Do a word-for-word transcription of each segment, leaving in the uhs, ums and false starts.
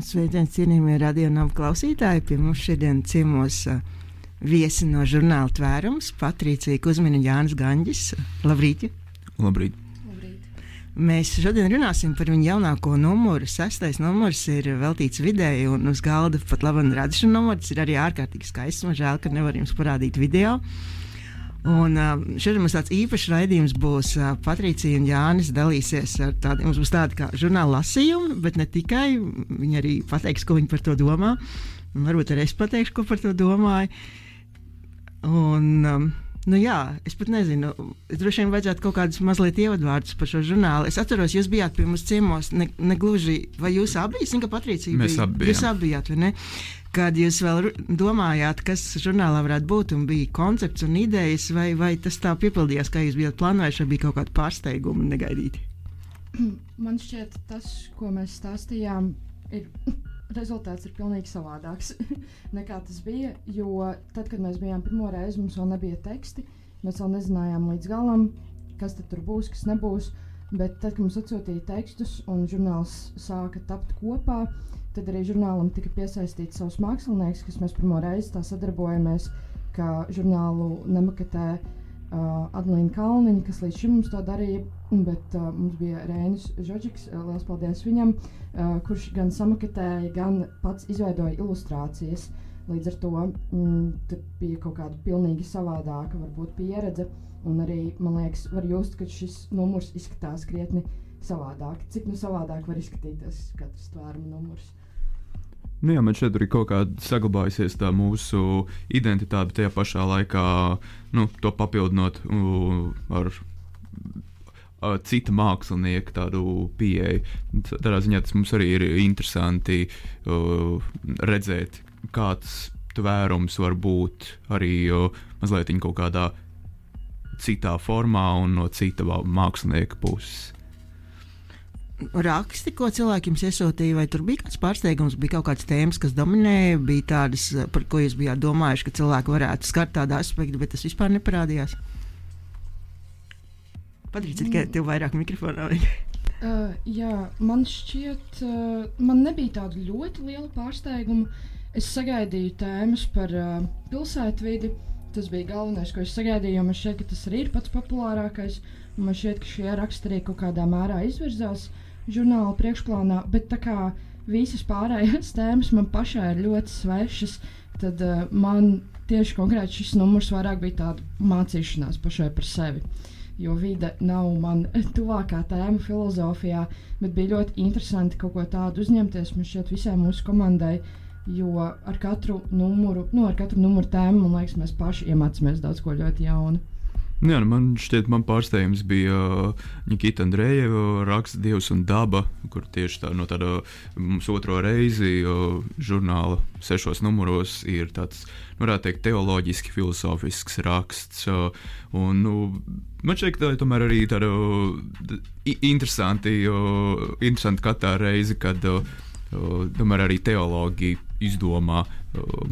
Sveiciens, cienījamie radio nav klausītāji. Pie mums šodien ciemos uh, viesi no žurnāla Tvērums, Patricija Kuzmina, Jānis Gaņģis. Labrīt! Labrīt! Mēs šodien runāsim par viņu jaunāko numuru. Sestais numurs ir veltīts videi, un uz galda pat labi redzēšana numurs ir arī ārkārtīgi skaists. Man žēl, ka nevar jums parādīt video. Un uh, šodien mums tāds īpašs raidījums būs. Uh, Patricija un Jānis dalīsies ar tādiem, mums būs tādi kā žurnāla lasījumi, bet ne tikai. Viņi arī pateiks, ko viņi par to domā. Un varbūt arī es pateikšu, ko par to domāju. Un, um, nu jā, es pat nezinu, es droši vien vajadzētu kaut kādus mazliet ievadvārdus par šo žurnālu. Es atceros, jūs bijāt pie mums ciemos, ne, ne gluži, vai jūs abi, es zinu, ka Patricija Mēs bija. abi bijām. Jūs abi bijāt, vai ne? Kad jūs vēl domājāt, kas žurnālā varētu būt, un bija koncepts un idejas, vai, vai tas tā piepildījās, kā jūs bijāt plānojuši, vai bija kaut kāda pārsteiguma negaidīti? Man šķiet, tas, ko mēs stāstījām, ir, rezultāts ir pilnīgi savādāks nekā tas bija, jo tad, kad mēs bijām pirmo reizi, mums vēl nebija teksti, mēs vēl nezinājām līdz galam, kas tad tur būs, kas nebūs, bet tad, kad mums atsūtīja tekstus un žurnāls sāka tapt kopā, tad arī žurnālam tika piesaistīts savs mākslinieks, kas mēs pirmo reizi tā sadarbojamies, ka žurnālu nemaketē uh, Adelīna Kalniņa, kas līdz šim mums to darīja, bet uh, mums bija Reinis Žodžiks, uh, liels paldies viņam, uh, kurš gan samaketēja, gan pats izveidoja ilustrācijas. Līdz ar to mm, tur bija kaut kāda pilnīgi savādāka varbūt pieredze, un arī, man liekas, var just, ka šis numurs izskatās krietni savādāk. Cik nu savādāk var izskatīties katrs Tvēruma numurs? Nu jā, man šeit arī kaut kāda saglabājusies tā mūsu identitāte, tajā pašā laikā nu, to papildinot uh, ar uh, cita mākslinieka tādu pieeju. Tādā ziņā tas mums arī ir interesanti uh, redzēt, kāds tvērums var būt arī uh, mazliet kaut kādā citā formā un no cita mākslinieka puses. Raksti, ko cilvēki jums iesūtīja, vai tur bija kāds pārsteigums, bija kaut kāds tēmas, kas dominēja, bija tādas, par ko jūs bijāt domājuši, ka cilvēki varētu skart tādu aspektu, bet tas vispār neparādījās? Patricija, tikai tev vairāk mikrofonā. uh, jā, man šķiet, uh, man nebija tādu ļoti lielu pārsteigumu. Es sagaidīju tēmas par uh, pilsētvidi. Tas bija galvenais, ko es sagaidīju, jo man šķiet, ka tas arī ir pats populārākais. Man šķiet, ka šie raksti arī kaut kādā mērā izvirzās žurnāla priekšplānā, bet tā kā visas pārējās tēmas man pašai ir ļoti svešas, tad uh, man tieši konkrēti šis numurs vairāk bija tāda mācīšanās pašai par sevi. Jo vide nav man tuvākā tēma filozofijā, bet bija ļoti interesanti kaut ko tādu uzņemties, man šķiet visai mūsu komandai, jo ar katru numuru, nu ar katru numuru tēmu, man liekas, mēs paši iemācāmies daudz ko ļoti jaunu. Jā, nu man šķiet, man pārsteigums bija Nikita Andrejeva raksta Dievs un daba, kur tieši tā no tāda mums otro reizi žurnāla sešos numuros ir tāds, nu varētu teikt, teoloģiski filosofisks raksts. Un, nu, man šķiet, ka tā ir tomēr arī tāda interesanti, interesanti katrā reizi, kad tomēr arī teologi izdomā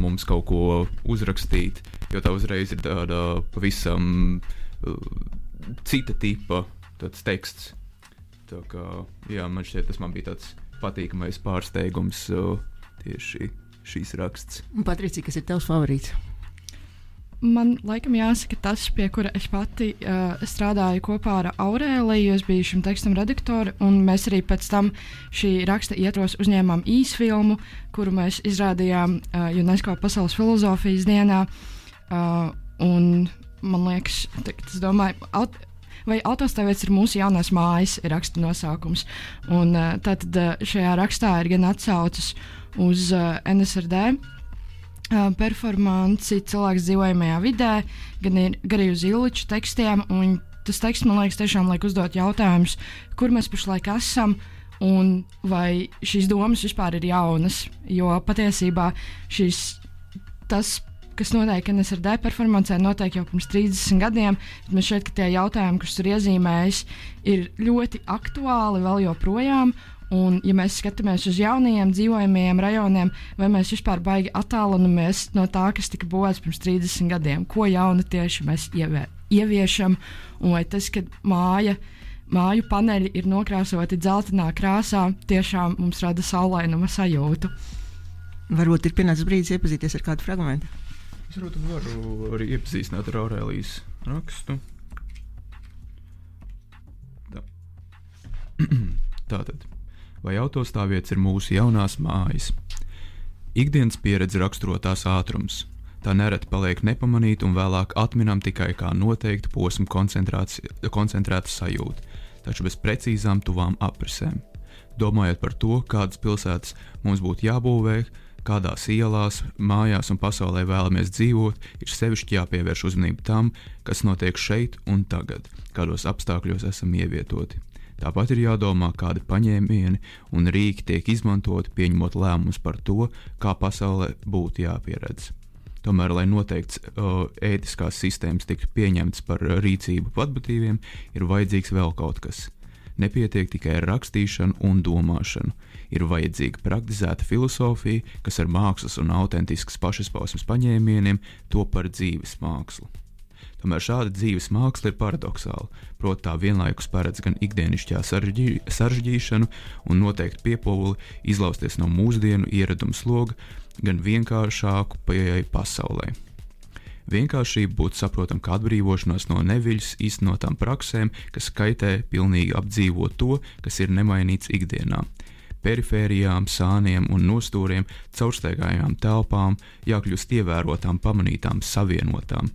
mums kaut ko uzrakstīt, jo tā uzreiz ir tāda pavisam uh, cita tipa tāds teksts. Tā kā, jā, man šķiet, tas man bija tāds patīkamais pārsteigums uh, tieši šīs raksts. Patricija, kas ir tavs favorīts? Man laikam jāsaka tas, pie kura es pati uh, strādāju kopā ar Aurēliju, es biju šim tekstam redaktori, un mēs arī pēc tam šī raksta ietvaros uzņēmām īsfilmu, kuru mēs izrādījām uh, UNESCO Pasaules filozofijas dienā, uh, un man liekas, es domāju, aut vai autostāvvietas ir mūsu jaunās mājas, ir raksta nosaukums, un uh, tātad uh, šajā rakstā ir gan atsaucas uz uh, N S R D, performanci cilvēks dzīvojamajā vidē, gan arī uz Illiča tekstiem, un tas teksts, man liekas, tiešām liek uzdot jautājumus, kur mēs pašlaik esam, un vai šīs domas vispār ir jaunas, jo patiesībā šīs, tas, kas notiek N S R D performancē, notiek jau pirms trīsdesmit gadiem, bet man šķiet, ka tie jautājumi, kurus tur iezīmējis, ir ļoti aktuāli vēl joprojām. Un, ja mēs skatāmies uz jaunajiem dzīvojamajiem rajoniem, vai mēs vispār baigi attālinamies no tā, kas tika būvēts pirms trīsdesmit gadiem, ko jaunu tieši mēs ievē, ieviešam, un vai tas, kad māja, māju paneļi ir nokrāsoti dzeltenā krāsā, tiešām mums rada saulainuma sajūtu. Varbūt ir pienācis brīdis iepazīties ar kādu fragmentu. Es varbūt varu arī iepazīstināt ar Aurēlijas rakstu. Tā. Tātad. Vai autostāvvietas ir mūsu jaunās mājas? Ikdienas pieredze raksturo tās ātrums. Tā nereti paliek nepamanīta un vēlāk atminam tikai kā noteiktu posmu koncentrēta sajūta, taču bez precīzām tuvām aprisēm. Domājot par to, kādas pilsētas mums būtu jābūvē, kādās ielās, mājās un pasaulē vēlamies dzīvot, ir sevišķi jāpievērš uzmanība tam, kas notiek šeit un tagad, kādos apstākļos esam ievietoti. Tāpat ir jādomā, kādi paņēmieni un rīki tiek izmantoti, pieņemot lēmumus par to, kā pasaulē būtu jāpieredz. Tomēr, lai noteikts uh, ētiskās sistēmas tiktu pieņemtas par rīcību patbatīviem, ir vajadzīgs vēl kaut kas. Nepietiek tikai ar rakstīšanu un domāšanu. Ir vajadzīga praktizēta filosofija, kas ar mākslas un autentiskas pašizpausmes paņēmieniem top par dzīves mākslu. Tomēr šāda dzīves māksla ir paradoxāla, proti tā vienlaikus paredz gan ikdienišķā sarežģī, sarežģīšanu un noteikti piepūli izlausties no mūsdienu ieradumu sloga, gan vienkāršāku pieeju pasaulē. Vienkāršība būtu saprotama kā atbrīvošanās no neviļas īstenotām praksēm, kas kaitē pilnīgi apdzīvot to, kas ir nemainīts ikdienā. Perifērijām, sāniem un nostūriem, caurstaigājām telpām jākļūst ievērotām, pamanītām, savienotām.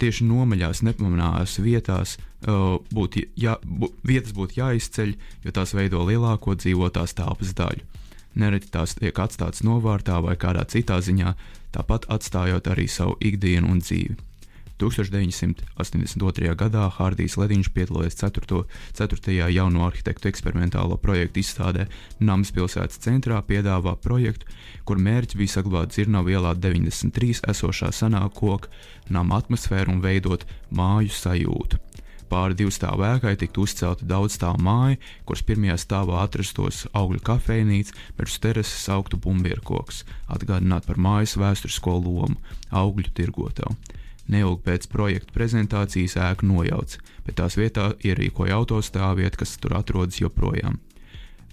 Tieši nomaļās, nepamanāmās vietās uh, būt jā, bū, vietas būtu jāizceļ, jo tās veido lielāko dzīvotās telpas daļu. Nereti tās tiek atstātas novārtā vai kādā citā ziņā, tāpat atstājot arī savu ikdienu un dzīvi. tūkstoš deviņsimt astoņdesmit otrajā gadā Hārdijs Lediņš piedalījies ceturtajā jauno arhitektu eksperimentālo projektu izstādē Nams pilsētas centrā piedāvā projektu, kur mērķis bija saglabāt Dzirnavu ielā deviņdesmit trīs esošā senā koka nama atmosfēru un veidot māju sajūtu. Pāri divu stāvu ēkai tiktu uzcelta daudzstāvu māja, kuras pirmajā stāvā atrastos augļu kafejnīca, bet uz terases augtu bumbierkoks, atgādināt par mājas vēsturisko lomu, augļu tirgotavu. Neilgi pēc projekta prezentācijas ēku nojauca, bet tās vietā ierīkoja autostāvvietu, kas tur atrodas joprojām.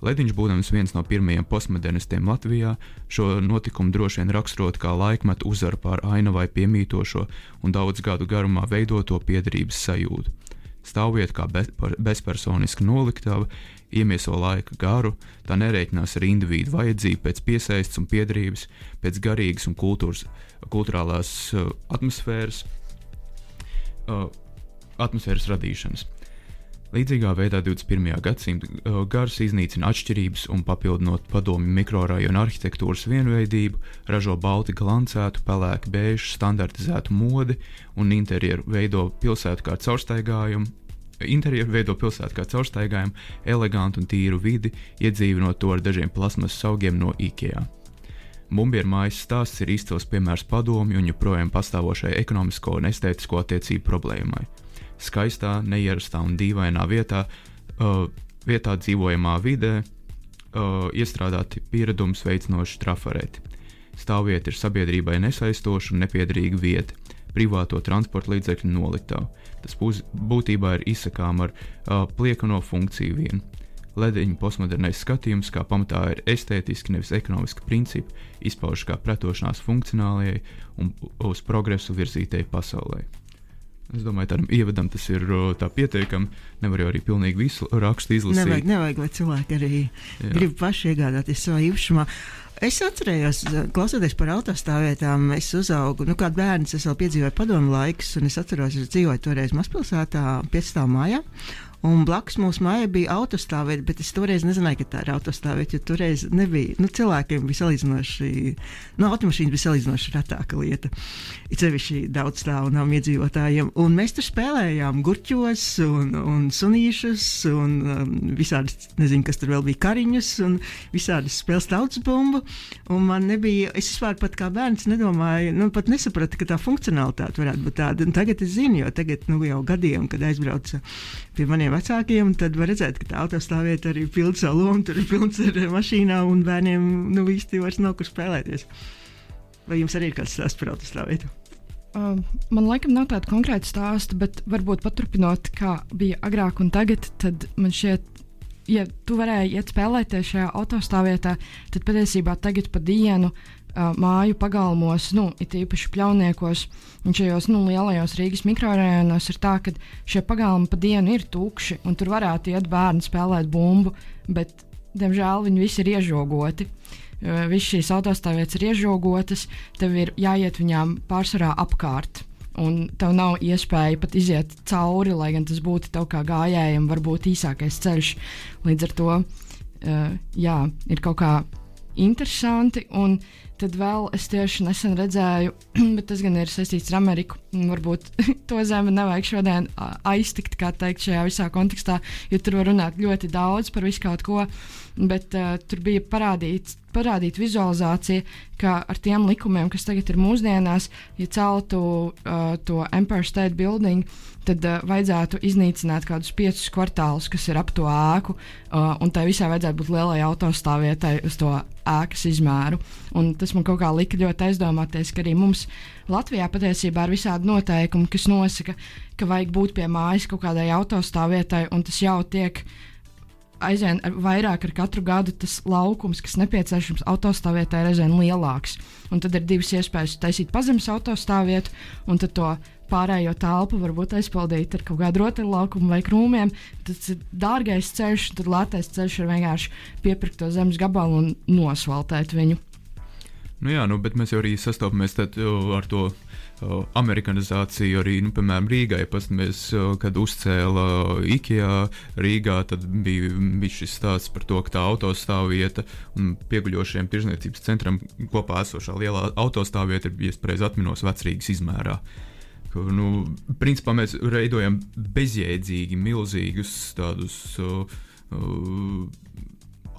Lediņš, būdams viens no pirmajiem postmodernistiem Latvijā, šo notikumu droši vien raksturot kā laikmetu uzvaru pār ainavai piemītošo un daudz gadu garumā veidoto piederības sajūtu. Stāvvieta kā be, bezpersoniska noliktava iemieso laika garu, tā nerēķinās ar individu vajadzību pēc piesaistes un piederības, pēc garīgas un kultūras, kulturālās uh, atmosfēras, uh, atmosfēras radīšanas. Līdzīgā veidā divdesmit pirmajā gadsimta uh, gars iznīcina atšķirības un papildinot padomju mikrorajonu arhitektūras vienveidību, ražo balti glancētu, pelēki bēžu, standartizētu modi un interjeru veido pilsētu kā caurstaigājumu, interjeru veido pilsētu kā caurstaigājumu, elegantu un tīru vidi, iedzīvinot to ar dažiem plasmasas augiem no IKEA. Bumbieru mājas stāsts ir izcils piemērs padomju un joprojām pastāvošai ekonomisko un estētisko attiecību problēmai. Skaistā, neierastā un dīvainā vietā, uh, vietā dzīvojamā vidē uh, iestrādāti pieredums veicinoši trafareti. Stāvvieta ir sabiedrībai nesaistoša un nepiederīga vieta, privāto transporta līdzekļu noliktava. Tas būs, būtībā ir izsakām ar uh, pliekano funkciju vienu. Lediņa postmodernais skatījums, kā pamatā ir estētiski, nevis ekonomiski principi, izpaužas kā pretošanās funkcionālajai un uz progresu virzītai pasaulē. Es domāju, tādam ievadam tas ir tā pietiekami. Nevar jau arī pilnīgi visu rakstu izlasīt. Nevajag, nevajag, lai cilvēki arī Jā. grib paši iegādāties savā īpašumā. Es atcerējos, klausoties par autostāvvietām, es uzaugu, nu kā bērns, es vēl piedzīvoju padomu laikus, un es atceros, es dzīvoju toreiz mazpilsētā, piecstāvu mājā. Un blakus mūsu mājai bija autostāvvieta, bet es toreiz nezināju, ka tā ir autostāvvieta, jo toreiz nebija, nu cilvēkiem bija salīdzinoši, nu automašīnas bija salīdzinoši retāka lieta, it sevišķi daudz stāvu nav iedzīvotājiem, un mēs tur spēlējām gurķos un, un sunīšus un um, visādas, nezinu, kas tur vēl bija, kariņus un visādas spēles tautas bumbu, un man nebija, es vispār pat kā bērns nedomāju, nu pat nesapratu, ka tā funkcionalitāte varētu būt tāda, un tagad es zinu, jo tagad, nu jau gadiem, kad aizbraucu pie maniem vecākiem, tad var redzēt, ka tā autostāvvieta arī pilda savu lomu, tur ir pilns ar mašīnām un bērniem nu īsti vairs nav kur spēlēties. Vai jums arī ir kāds stāsts par autostāvvietu? Uh, man laikam nav tāda konkrēta stāsta, bet varbūt paturpinot, kā bija agrāk un tagad, tad man šķiet, ja tu varēji iet spēlēties šajā autostāvvietā, tad patiesībā tagad pa dienu uh, māju pagalmos, nu, it īpaši Pļauniekos un šajos nu, lielajos Rīgas mikrorajonos ir tā, ka šie pagalmi pa dienu ir tukši un tur varētu iet bērni spēlēt bumbu, bet, diemžēl, viņi visi ir iežogoti. Visas šīs autostāvvietas ir iežogotas, tev ir jāiet viņām pārsvarā apkārt, un tev nav iespēja pat iziet cauri, lai gan tas būtu tev kā gājējiem, varbūt īsākais ceļš. Līdz ar to, uh, jā, ir kaut kā interesanti, un tad vēl es tieši nesen redzēju, bet tas gan ir saistīts ar Ameriku, varbūt to zemi nevajag šodien aiztikt, kā teikt, šajā visā kontekstā, jo tur var runāt ļoti daudz par visu kaut ko, bet uh, tur bija parādīts, parādīt vizualizācija, ka ar tiem likumiem, kas tagad ir mūsdienās, ja celtu uh, to Empire State Building, tad uh, vajadzētu iznīcināt kādus piecus kvartālus, kas ir ap to ēku, uh, un tai visai vajadzētu būt lielai autostāvvietai uz to ēkas izmēru. Un tas man kaut kā lika ļoti aizdomāties, ka arī mums Latvijā patiesībā ir visādi noteikumi, kas nosaka, ka vajag būt pie mājas kaut kādai autostāvvietai, un tas jau tiek aizvien vairāk ar katru gadu tas laukums, kas nepieciešams autostāvvietai, ir aizvien lielāks. Un tad ir divas iespējas taisīt pazemes autostāvvietu, un tad to pārējo telpu varbūt aizpildīt ar kaut kādu rotaļlaukumu vai krūmiem. Tas ir dārgais ceļš, un tad lētais ceļš ir vienkārši piepirkt to zemes gabalu un nosvaltēt viņu. Nu jā, nu, bet mēs jau arī sastopamies tad, uh, ar to uh, amerikanizāciju arī, nu, piemēram, Rīgai. Pastamies, uh, kad uzcēla IKEA Rīgā, tad bija, bija šis stāsts par to, ka tā autostāvvieta un pieguļošiem tirzniecības centram kopā esošā lielā autostāvvieta ir, ja es pareizi atminos, Vecrīgas izmērā. Ka, nu, principā mēs veidojam bezjēdzīgi milzīgus tādus uh, uh,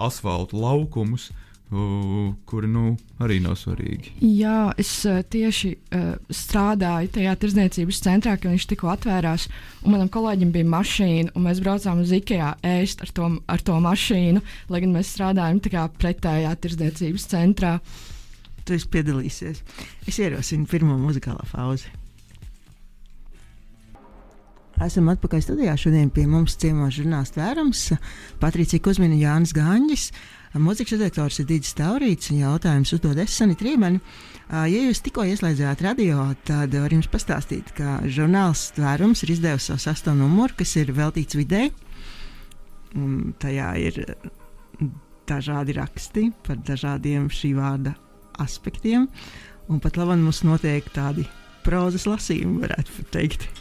asfaltu laukumus, Uh, kuri nu, arī nav svarīgi. Jā, es uh, tieši uh, strādāju tajā tirdzniecības centrā, kad viņš tikko atvērās, un manam kolēģim bija mašīna, un mēs braucām uz IKEA ēst ar to, ar to mašīnu, lai gan mēs strādājam tā kā pretējā tirdzniecības centrā. Tu esi piedalīsies. Es ierosinu pirmo muzikālā pauzi. Esam atpakaļ studijā. Šodien pie mums ciemos žurnālists Vērums, Patricija Kuzmina, Jānis Gāņģis. Mūzikas redaktors ir Digis Taurīts, un jautājums uzdod es, Sanita Rībani. Ja jūs tikko ieslēdzāt radio, tad var jums pastāstīt, ka žurnāls Tvērums ir izdevusi savu sesto numuru, kas ir veltīts videi. Un tajā ir dažādi raksti par dažādiem šī vārda aspektiem, un pat labāk mums notiek tādi prozas lasījumi, varētu teikt.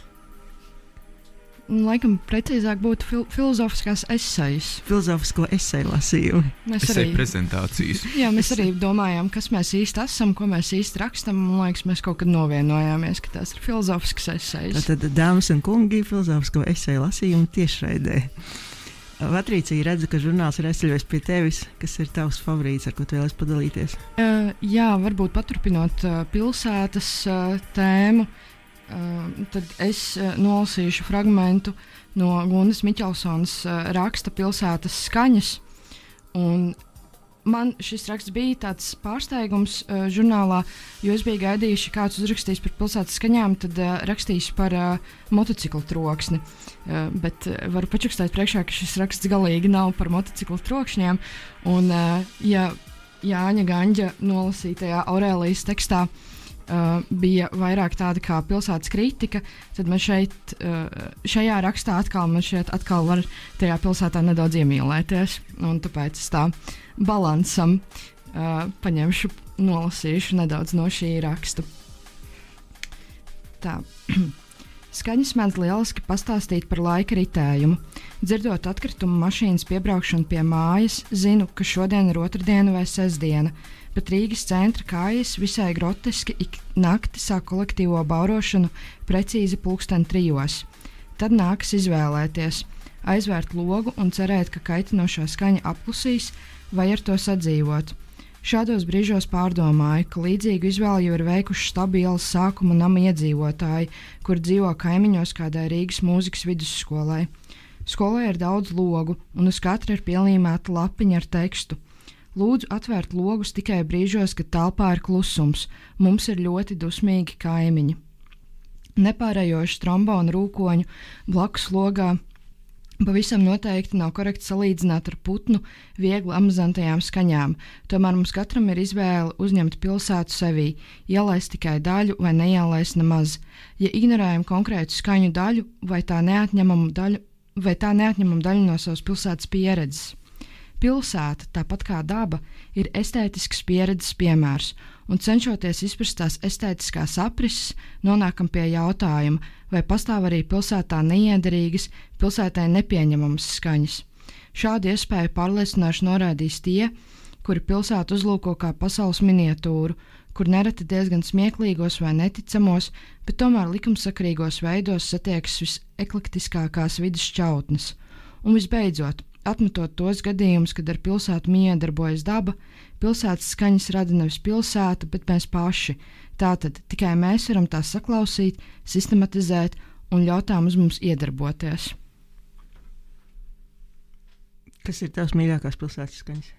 Laikam precīzāk būtu fil filozofiskās esejas. Filozofisko eseju lasījumi. Mēs Eseju arī prezentācijas. Jā, mēs arī domājām, kas mēs īsti esam, ko mēs īsti rakstam. Man liekas, mēs kaut kad novienojāmies, ka tās ir filozofiskas esejas. Tad, dāmas un kungi, filozofisko eseju lasījumu tiešraidē. Patricija, redzu, ka žurnāls ir aizceļojis pie tevis. Kas ir tavs favorīts, ar ko tu vēlies padalīties? Uh, jā, varbūt paturpinot uh, pilsētas uh, tēmu. Uh, tad es uh, nolasīšu fragmentu no Gundas Miķelsonas uh, raksta Pilsētas skaņas. Un man šis raksts bija tāds pārsteigums uh, žurnālā, jo es biju gaidījuši, kāds uzrakstīs par pilsētas skaņām, tad uh, rakstīs par uh, motociklu troksni. Uh, bet uh, varu pačukstēt priekšā, ka šis raksts galīgi nav par motociklu trokšņiem. Un, uh, ja Jāņa Gaņģa nolasītajā Aurēlijas tekstā Uh, bija vairāk tāda kā pilsētas kritika, tad man šeit, uh, šajā rakstā atkal, man šeit atkal var tajā pilsētā nedaudz iemīlēties, un tāpēc es tā balansam uh, paņemšu, nolasīšu nedaudz no šī raksta. Tā. Skaņas mēdz lieliski pastāstīt par laika ritējumu. Dzirdot atkritumu mašīnas piebraukšanu pie mājas, zinu, ka šodien ir otrdiena vai sestdiena, bet Rīgas centra kājas visai groteski ik nakti sāk kolektīvo baurošanu precīzi pulksten trijos. Tad nākas izvēlēties, aizvērt logu un cerēt, ka kaitinošā skaņa apklusīs vai ar to sadzīvot. Šādos brīžos pārdomāju, ka līdzīgu izvēli jau ir veikuši stabielas sākuma nama iedzīvotāji, kur dzīvo kaimiņos kādai Rīgas mūzikas vidusskolai. Skolai ir daudz logu, un uz katra ir pielīmēta lapiņa ar tekstu. Lūdzu atvērt logus tikai brīžos, kad telpā ir klusums. Mums ir ļoti dusmīgi kaimiņi. nepārējošu trombonu rūkoņu blakus logā. Pavisam noteikti nav korekti salīdzināt ar putnu viegli amazantajām skaņām, tomēr mums katram ir izvēle uzņemt pilsētu sevī, ielaist tikai daļu vai neielaist nemaz. Ja ignorējam konkrētu skaņu daļu vai tā neatņemamu daļu, vai tā neatņemam daļu no savas pilsētas pieredzes. Pilsēta, tāpat kā daba, ir estētisks pieredzes piemērs, un cenšoties izprast tās estētiskās aprises, nonākam pie jautājuma, vai pastāv arī pilsētā neiederīgas, pilsētai nepieņemamas skaņas. Šādu iespēju pārliecināšu norādīs tie, kuri pilsētu uzlūko kā pasaules miniatūru, kur nereti diezgan smieklīgos vai neticamos, bet tomēr likumsakarīgos veidos satiekas viseklektiskākās vidas šķautnes. Un visbeidzot, atmetot tos gadījumus, kad ar pilsētu miedarbojas daba, pilsētas skaņas rada nevis pilsēta, bet mēs paši. Tātad tikai mēs varam tās saklausīt, sistematizēt un ļaut tām uz mums iedarboties. Kas ir tavs mīļākās pilsētas skaņas?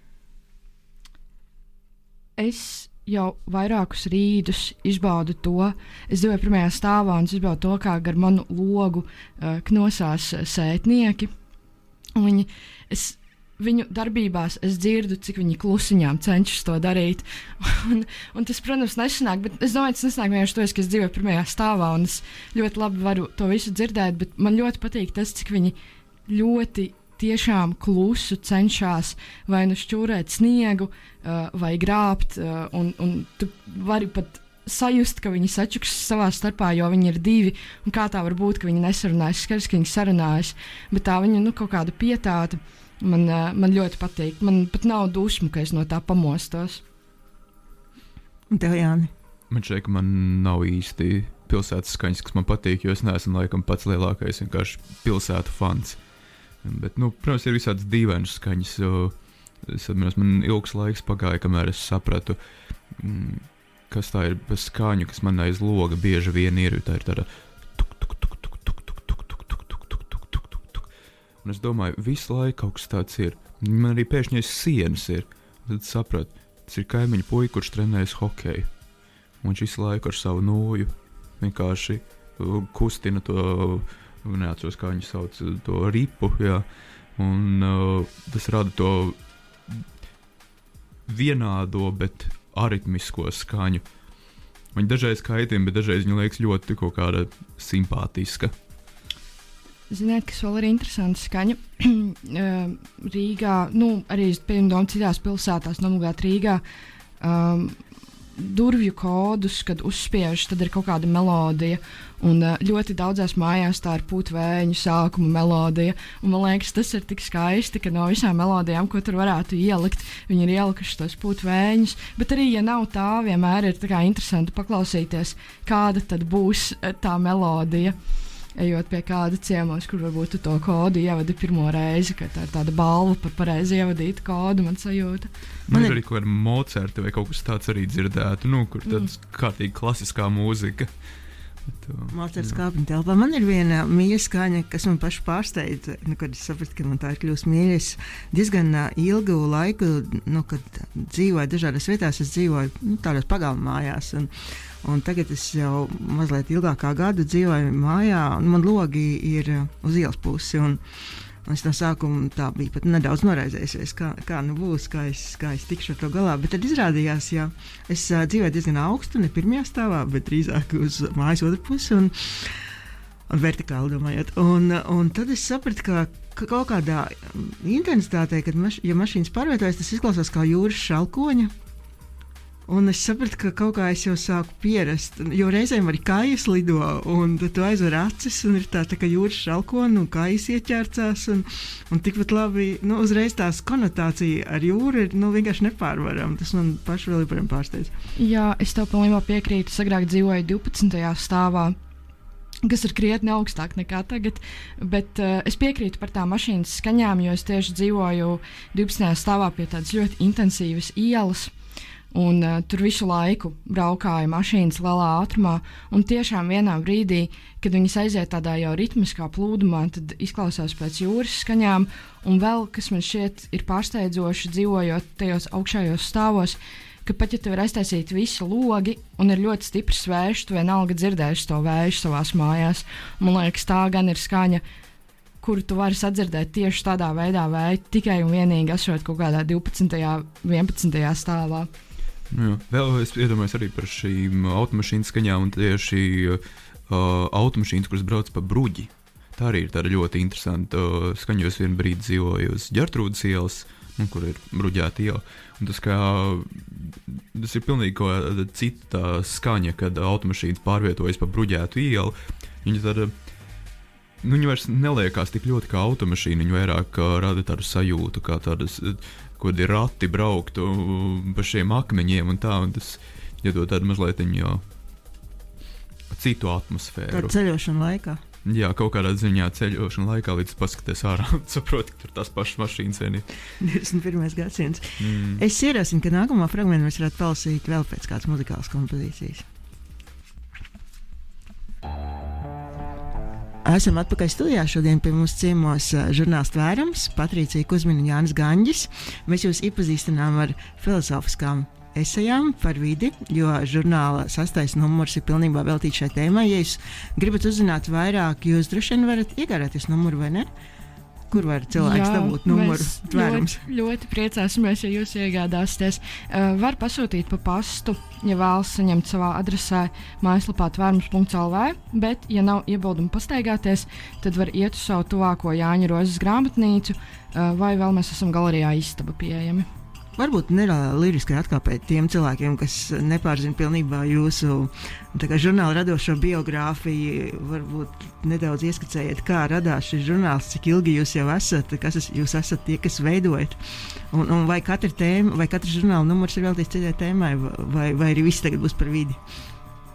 Es jau vairākus rītus izbaudu to, es dzīvoju pirmajā stāvā un es izbaudu to, kā gar manu logu uh, knosās sētnieki. Un viņi, es, viņu darbībās es dzirdu, cik viņi klusiņām cenšas to darīt. Un, un tas, protams, nesanāk, bet es domāju, tas nesanāk vienkārši to, ka es dzīvoju pirmajā stāvā un es ļoti labi varu to visu dzirdēt, bet man ļoti patīk tas, cik viņi ļoti tiešām klusu cenšas vai nu šķūrēt sniegu uh, vai grābt, uh, un, un tu vari pat sajust, ka viņi sačuks savā starpā, jo viņi ir divi, un kā tā var būt, ka viņi nesarunājas, skaidrs, ka viņi sarunājas, bet tā viņa, nu, kaut kāda pietāta man, man ļoti patīk. Man pat nav dusmu, ka es no tā pamostos. Un tev, Jāni? Man šeit, ka man nav īsti pilsētas skaņas, kas man patīk, jo es neesmu laikam pats lielākais vienkārši pilsētu fans. Bet, nu, protams, ir visādas dīvainas skaņas, jo es atminos, man ilgs laiks pagāja, kamēr es sapratu, mm, kas tā ir bez skaņu, kas man aiz loga bieži vien ir, tā ir tāda tuk, tuk, tuk, tuk, tuk, tuk, tuk, tuk, tuk, tuk, tuk, tuk, tuk, tuk. Un es domāju, visu laiku kaut kas tāds ir. Man arī pēkšņi aiz sienas ir. Tad sapratu, tas ir kaimiņu puika, kurš trenējas hokeju. Un viņš visu laiku ar savu nūju vienkārši kustina to, neatceros, kā viņi sauc, to ripu, jā. Un uh, tas rada to vienādo, bet aritmisko skaņu. Viņa dažreiz kaitina, bet dažreiz viņa liekas ļoti kaut kāda simpātiska. Ziniet, kas vēl ir interesanti skaņa? Rīgā, nu, arī piemēram citās pilsētās, nomugāt Rīgā, um, durvju kodus, kad uzspiež, tad ir kaut kāda melodija. Un uh, ļoti daudzās mājās tā ir putvēņu sākuma melodija. Un man liekas, tas ir tik skaisti, ka no visām melodijām, ko tur varētu ielikt, viņi ir ielikuši tos putvēņus. Bet arī, ja nav tā, vienmēr ir tā kā interesanti paklausīties, kāda tad būs tā melodija. Ejot pie kāda ciemos, kur varbūt tu to kodu ievadi pirmo reizi, ka tā ir tāda balva par pareizi ievadītu kodu, man sajūta. Man ir arī kaut kāda Mocerta vai kaut kas tāds arī dzirdētu, nu, kur tāds mm. kārtīgi klasiskā mūzika. Mocerts kāpņu telpā. Man ir viena mīļa skaņa, kas man pašu pārsteidza, nu, kad es sapratu, ka man tā ir kļūst mīļa. Es diezgan uh, ilgu laiku, nu, kad dzīvoju dažādās vietās, es dzīvoju nu, tādās pagalma mājās. Un, un tagad es jau mazliet ilgākā gadu dzīvoju mājā, un man logi ir uh, uz ielas pusi. Un, un es no sākuma tā biju pat nedaudz noraizējusies, kā, kā nu būs, kā es, kā es tikšu ar to galā. Bet tad izrādījās, ja es uh, dzīvoju diezgan augstu, ne pirmajā stāvā, bet drīzāk uz mājas otru pusi un, un vertikāli domājot. Un, un tad es sapratu, ka, ka kaut kādā intensitātē, kad maš, ja mašīnas pārvietojas, tas izklausās kā jūras šalkoņa. Un es sapratu, ka kaut kā es jau sāku pierast, jo reizēm arī kājas lido, un tad tu aizver acis, un ir tā, tā kā jūras šalkona, un kājas ieķērcās, un, un tikpat labi, nu, uzreiz tās konotācija ar jūru ir, nu, vienkārši nepārvaram. Tas man paši vēl joprojām pārsteidz. Jā, es tev pilnībā piekrītu. Es agrāk dzīvoju divpadsmitajā stāvā, kas ir krietni augstāk nekā tagad, bet uh, es piekrītu par tām mašīnas skaņām, jo es tieši dzīvoju divpadsmitajā stāvā pie tādas ļoti intensīvas ielas. Un uh, tur visu laiku braukāja mašīnas lielā ātrumā, un tiešām vienā brīdī, kad viņas aiziet tādā jau ritmiskā plūdumā, tad izklausās pēc jūras skaņām, un vēl, kas man šķiet ir pārsteidzoši dzīvojot tajos augšējos stāvos, ka ka pat ja tev ir aiztaisīti visi logi un ir ļoti stiprs vējš, tu vienalga dzirdēsi to vēju savās mājās. Man liekas, tā gan ir skaņa, kuru tu vari sadzirdēt tieši tādā veidā vēju, tikai un vienīgi esot kaut kādā divpadsmitajā, vienpadsmitajā stāvā. Jā. Vēl es iedomājos arī par šīm automašīnu skaņām un tieši uh, automašīnas, kuras brauc pa bruģi. Tā arī ir tāda ļoti interesanta uh, skaņa, jo es vienu brīdi dzīvoju uz Ģertrūdas ielas, nu, kur ir bruģēta iela. Un tas, kā, tas ir pilnīgi kaut kāda cita skaņa, kad automašīnas pārvietojas pa bruģētu ielu. Viņa tāda, nu, viņa vairs neliekās tik ļoti kā automašīna, viņa vairāk uh, rada tādu sajūtu, kā tādas, kad ir rati brauktu pa šiem akmeņiem un tā, un tas iedod tādu mazliet jau citu atmosfēru. Tā ceļošana laikā. Jā, kaut kādā ziņā ceļošana laikā, līdz paskaties ārā un saproti, ka tur tās pašas mašīnas vien ir. divdesmit pirmais gadsimts. Mm. Es ierosinu, ka nākamā fragmentu mēs varētu palasīt vēl pēc kādas muzikālas kompozīcijas. Esam atpakaļ studijā. Šodien pie mums ciemos žurnāls Tvērums, Patricija Kuzmina un Jānis Gaņģis. Mēs jūs iepazīstinām ar filozofiskām esejām par vidi, jo žurnāla sastais numurs ir pilnībā veltīts šai tēmai. Ja jūs gribat uzzināt vairāk, jūs droši vien varat iegādāties numuru, vai ne? Kur var cilvēks Jā, dabūt numuru Tvērums? Ļoti, ļoti priecāsimies, ja jūs iegādāsieties. Uh, var pasūtīt pa pastu, ja vēlas saņemt savā adresē mājaslapā tvērums punkts el vē, bet, ja nav iebildumu pastaigāties, tad var iet uz savu tuvāko Jāņa Rozes grāmatnīcu, uh, vai vēl mēs esam galerijā Istaba pieejami. Varbūt nedaudz liriskai atkāpēt tiem cilvēkiem, kas nepārzina pilnībā jūsu kā, žurnāla radošo biogrāfiju. Varbūt nedaudz ieskicējiet, kā radās šis žurnāls, cik ilgi jūs jau esat, kas es, jūs esat tie, kas veidojat. Un, un vai katra tēma, vai katrs žurnāla numurs ir veltīts citai tēmai, vai, vai arī viss tagad būs par vidi?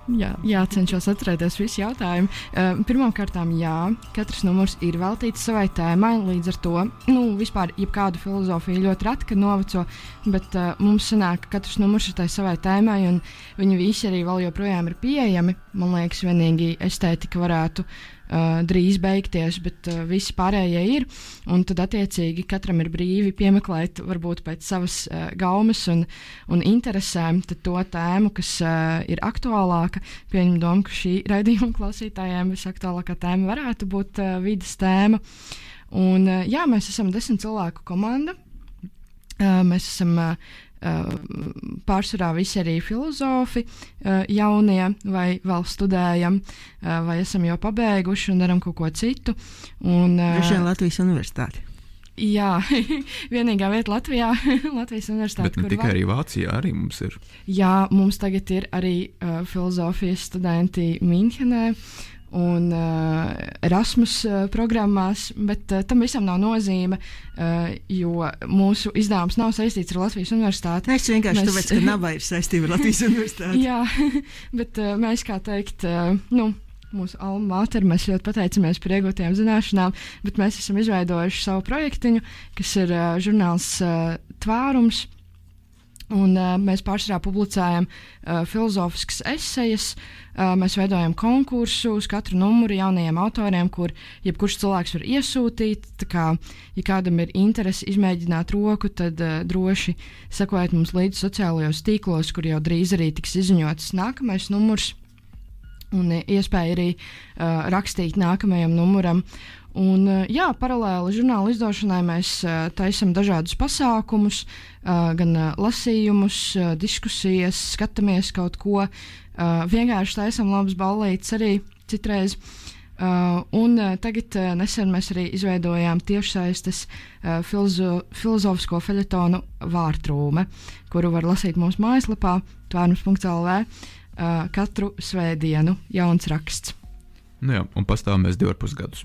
Jā, jācenšas atcerēties visi jautājumi. Uh, Pirmkārt, jā, katrs numurs ir veltīts savai tēmai, līdz ar to, nu, vispār jebkādu filozofiju ļoti reti, kad noveco, bet uh, mums sanāk, ka katrs numurs ir tai savai tēmai, un viņi visi arī vēl joprojām ir pieejami. Man liekas, vienīgi estētika varētu uh, drīz beigties, bet uh, visi pārējie ir, un tad attiecīgi katram ir brīvi piemeklēt varbūt pēc savas uh, gaumes un, un interesēm tad to tēmu, kas uh, ir aktuālāka. Pieņem domu, ka šī raidījuma klausītājiem visaktuālākā tēma varētu būt uh, vides tēma. Un, uh, jā, mēs esam desmit cilvēku komanda. Uh, mēs esam uh, uh, pārsvarā visi arī filozofi, uh, jaunie vai vēl studējam, uh, vai esam jau pabeiguši un daram kaut ko citu. Un, uh, Droši vien Latvijas universitāti. Jā, vienīgā vieta Latvijā, Latvijas universitāte. Bet ne tikai var... arī Vācijā arī mums ir. Jā, mums tagad ir arī uh, filozofijas studenti Minhenē un uh, Erasmus uh, programmās, bet uh, tam visam nav nozīme, uh, jo mūsu izdevums nav saistīts ar Latvijas universitāti. Es vienkārši mēs... tāpēc, ka Naba ir saistība ar Latvijas universitāti. Jā, bet uh, mēs, kā teikt, uh, nu, mūsu alma mater, mēs ļoti pateicamies par iegūtajām zināšanām, bet mēs esam izveidojuši savu projektiņu, kas ir uh, žurnāls uh, Tvērums, un uh, mēs pārsvarā publicējam uh, filozofiskas esejas, uh, mēs veidojam konkursu uz katru numuru jaunajiem autoriem, kur jebkurš cilvēks var iesūtīt, tā kā, ja kādam ir interesi izmēģināt roku, tad uh, droši sekojiet mums līdzi sociālajos tīklos, kur jau drīz arī tiks izziņots nākamais numurs, un iespēja arī uh, rakstīt nākamajam numuram. Un, uh, jā, paralēli žurnāla izdošanai mēs uh, taisam dažādus pasākumus, uh, gan uh, lasījumus, uh, diskusijas, skatāmies kaut ko, uh, vienkārši taisam labas ballītes arī citreiz. Uh, un uh, tagad uh, nesen mēs arī izveidojām tiešsaistes uh, filozo filozofisko feļetonu Vārtrūme, kuru var lasīt mūsu mājaslapā tvērums punkts el vē. Uh, katru svētdienu jauns raksts. Nu jā, un pastāvam mēs divi ar pus gadus.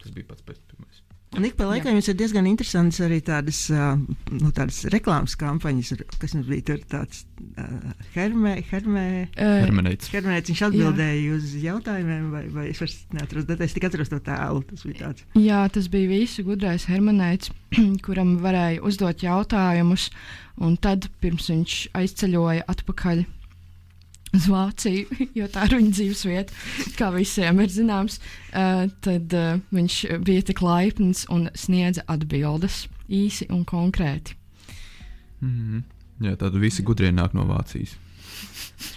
Tas bija pats pēc pirmais. Un ik pa laikam jums ir diezgan interesants arī tādas, uh, nu, tādas reklāmas kampaņas, kas mums bija tur tāds uh, hermē, hermē, uh, hermenēts. Hermenēts, viņš atbildēja jā. uz jautājumiem, vai, vai es vairs neatros datēs, tik atros to tēlu, tas bija tāds. Jā, tas bija visu gudrais hermenēts, kuram varēja uzdot jautājumus, un tad pirms viņš aizceļoja atpakaļ uz Vāciju, jo tā ir viņa dzīvesvieta, kā visiem ir zināms, uh, tad uh, viņš bija tik laipns un sniedza atbildes īsi un konkrēti. Mm-hmm. Jā, tāda visi gudrie nāk no Vācijas.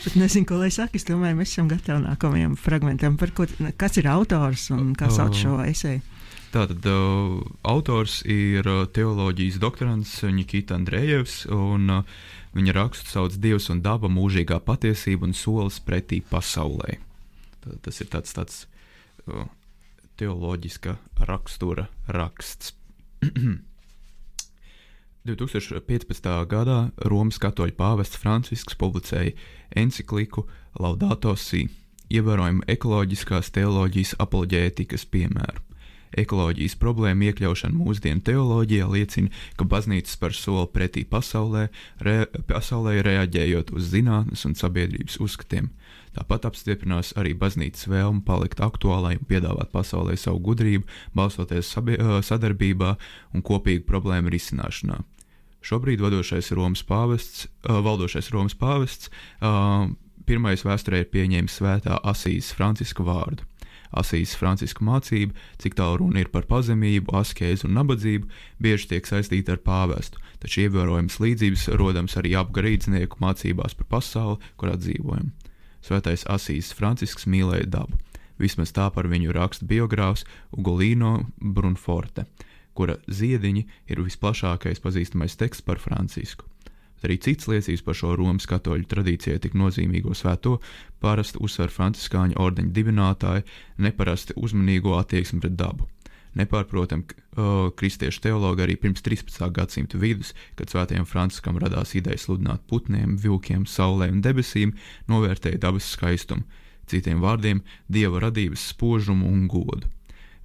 Bet nezinu, ko lai saka. Es domāju, mēs esam gatavi nākamajam fragmentam. Par ko, kas ir autors un kā sauc šo eseju? Tātad uh, autors ir uh, teoloģijas doktorants Nikita Andrejevs, un uh, viņa rakstu sauc Dievs un daba, mūžīgā patiesība un solis pretī pasaulē. Tātad tas ir tāds, tāds uh, teoloģiska rakstura raksts. divtūkstoš piecpadsmitā gadā Romas katoļu pāvests Francisks publicēja encikliku Laudato Si, ievērojumu ekoloģiskās teoloģijas apoloģētikas piemēru. Ekoloģijas problēma iekļaušana mūsdienu teoloģijā liecina, ka baznīca spēr soli pretī pasaulē, re, pasaulē reaģējot uz zinātnes un sabiedrības uzskatiem. Tāpat apstiprinās arī baznīcas vēlme palikt aktuālai un piedāvāt pasaulē savu gudrību, balstoties sabie, sadarbībā un kopīgu problēmu risināšanā. Šobrīd vadošais Romas pāvests, uh, valdošais Romas pāvests uh, pirmais vēsturē ir pieņēmis svētā Asīzes Franciska vārdu. Asīzes Franciska mācība, cik tālu runa ir par pazemību, askēzi un nabadzību, bieži tiek saistīta ar pāvestu, taču ievērojams līdzības rodams arī ap garīdznieku mācībās par pasauli, kurā dzīvojam. Svētais Asīzes Francisks mīlēja dabu. Vismaz tā par viņu raksta biogrāfs Ugolino Brunforte, kura ziediņi ir visplašākais pazīstamais teksts par Francisku. Bet arī cits liecības par šo Romas katoļu tradīcijai tik nozīmīgo svēto parasti uzsver franciskāņu ordeņa dibinātāji neparasti uzmanīgo attieksmi pret dabu. Nepārprotam, uh, kristiešu teologi arī pirms trīspadsmitā gadsimta vidus, kad svētajam Franciskam radās ideja sludināt putniem, vilkiem, saulē un debesīm, novērtēja dabas skaistumu, citiem vārdiem dieva radības spožumu un godu.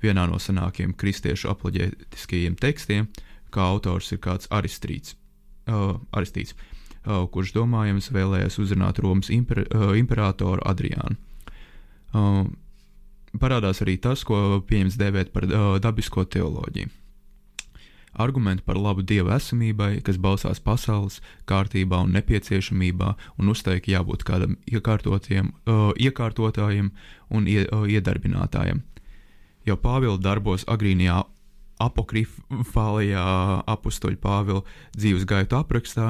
Vienā no senākiem kristiešu apoloģētiskajiem tekstiem, kā autors ir kāds Aristrīts, uh, Aristīts, uh, kurš domājams vēlējās uzrunāt Romas imper, uh, imperatoru Adriānu. Uh, parādās arī tas, ko pieņems dēvēt par uh, dabisko teoloģiju. Argumenti par labu dieva esamībai, kas balstās pasaules kārtībā un nepieciešamībā un uzteik jābūt kādam iekārtotiem, uh, iekārtotājiem un ie, uh, iedarbinātājiem. Jau Pāvila darbos agrīnajā apokrifālajā apustuļa Pāvila dzīves gaitu aprakstā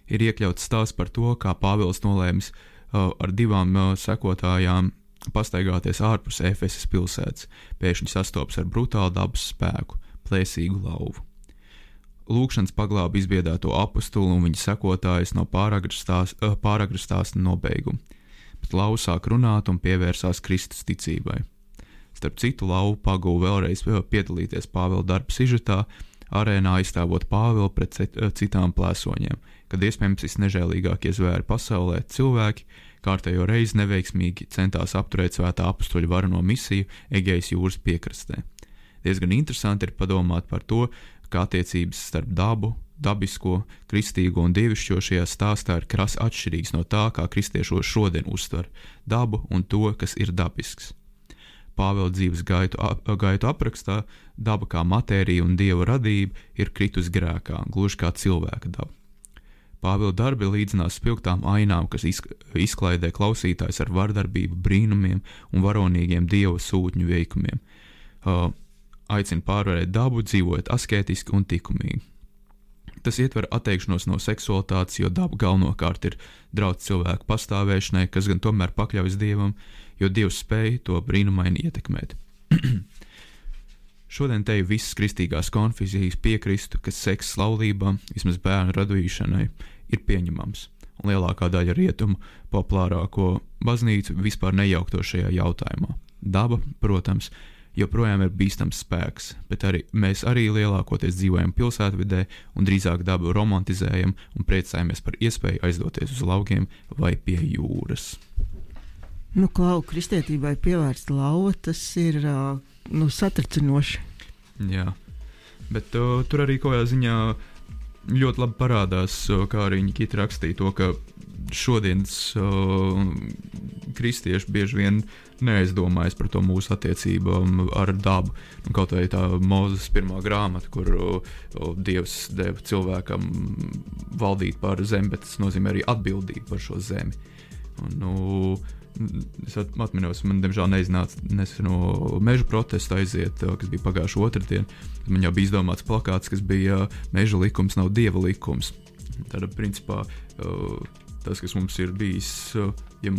ir iekļauts stāsts par to, kā Pāvils nolēmis uh, ar divām uh, sekotājām pastaigāties ārpus Efesas pilsētas, pēkšņi sastopas ar brutālu dabas spēku, plēsīgu lauvu. Lūkšanas paglāba izbiedēto apustuli un viņa sekotājus no pāragru stāsta nobeigumu, bet lauva sāk runāt un pievērsās Kristus ticībai. Starp citu, lauva pagūva vēlreiz piedalīties Pāvila darba sižetā, arēnā aizstāvot Pāvilu pret citām plēsoņiem, kad iespējams visnežēlīgākie zvēri pasaulē cilvēki kārtējo reizi neveiksmīgi centās apturēt svētā apustuļa varano misiju Egejas jūras piekrastē. Diezgan interesanti ir padomāt par to, kā attiecības starp dabu, dabisko, kristīgo un dievišķo šajā stāstā ir krasi atšķirīgs no tā, kā kristieši šodien uztver dabu un to, kas ir dabisks. Pāvila dzīves gaitu, gaitu aprakstā daba kā matērija un dieva radība ir kritus grēkā, gluži kā cilvēka daba. Pāvila darbi līdzinās spilgtām ainām, kas izklaidē klausītājs ar vardarbību, brīnumiem un varonīgiem dieva sūtņu veikumiem. Uh, aicina pārvarēt dabu, dzīvojot askētiski un likumīgi. Tas ietver atteikšanos no seksualitātes, jo daba galvenokārt ir draudz cilvēku pastāvēšanai, kas gan tomēr pakļaujas dievam, jo dievs spēj to brīnumaini ietekmēt. Šodien te visas kristīgās konfesijas piekristu, ka seks laulībām, vismaz bērnu radīšanai, ir pieņemams, un lielākā daļa rietumu populārāko baznīcu vispār nejaukto šajā jautājumā. Daba, protams, joprojām ir bīstams spēks, bet arī mēs arī lielākoties dzīvojam pilsētvidē un drīzāk dabu romantizējam un priecājamies par iespēju aizdoties uz laugiem vai pie jūras. Nu, Klau, kristietībai pievērsta lauva, tas ir uh, nu, satricinoši. Jā, bet uh, tur arī kaut kādā ziņā ļoti labi parādās, uh, kā arī Nikita rakstīja to, ka šodienas uh, kristieši bieži vien neaizdomājas par to mūsu attiecībām ar dabu. Un kaut vai tā Mūzes pirmā grāmata, kur uh, Dievs deva cilvēkam valdīt pār zemi, bet tas nozīmē arī atbildību par šo zemi. Un, nu, es atminos, man diemžēl neiznāca nesen no meža protesta aiziet, kas bija pagājuši otrdien. Man jau bija izdomāts plakāts, kas bija meža likums nav dieva likums. Tāda principā uh, tas, kas mums ir bijis, uh, ja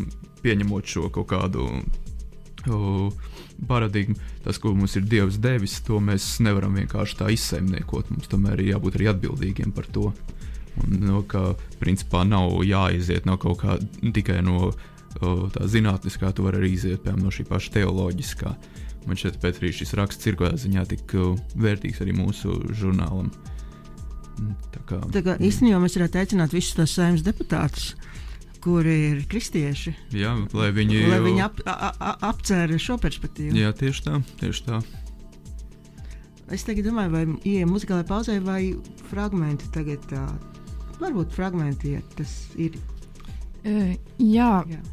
pieņemot šo kaut kādu uh, paradigmu, tas, ko mums ir Dievs devis, to mēs nevaram vienkārši tā izsaimniekot. Mums tomēr ir jābūt arī atbildīgiem par to. Un, no, ka principā nav jāiziet no kaut kā tikai no uh, tā zinātniskā, tu vari arī iziet piemēram no šī paša teoloģiskā. Man šķiet, pēc arī šis raksts ir kādā ziņā tik uh, vērtīgs arī mūsu žurnālam. Tā kā, Tā kā īstenībā mēs varētu aicināt visus tos saimnes deputātus, kuri ir kristieši. Jā, lai viņi, lai viņi ap, a, a, apcēra šo perspektīvu. Jā, tieši tā, tieši tā. Es tagad domāju, vai ieejam muzikālajā pauzē vai fragmenti tagad tā. Varbūt fragmenti, ja tas ir. Uh, jā. jā.